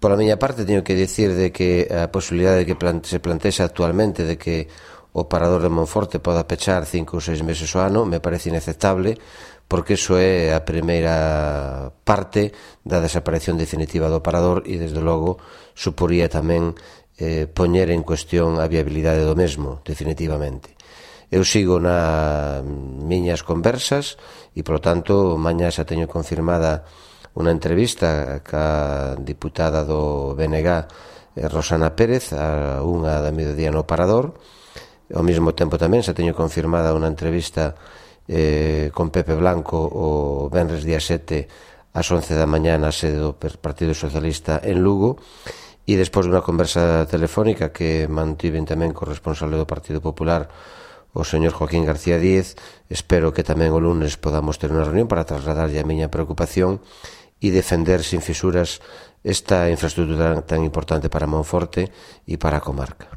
Pola miña parte, teño que dicir de que a posibilidade de que se plantexa actualmente de que o parador de Monforte poda pechar 5 ou 6 meses ao ano me parece inaceptable, porque iso é a primeira parte da desaparición definitiva do parador e, desde logo, suporía tamén poñer en cuestión a viabilidade do mesmo, definitivamente. Eu sigo nas miñas conversas e, polo tanto, mañá xa teño confirmada unha entrevista ca diputada do BNG, Rosana Pérez, a 1:00 p.m. no Parador. Ao mesmo tempo tamén xa teño confirmada unha entrevista con Pepe Blanco o venres día 7 ás 11 da mañá na sede do Partido Socialista en Lugo, e despois dunha conversa telefónica que mantiven tamén co responsable do Partido Popular, o señor Joaquín García Díez. Espero que tamén o lunes podamos ter unha reunión para trasladarlle a miña preocupación e defender sin fisuras esta infraestructura tan importante para Monforte e para a comarca.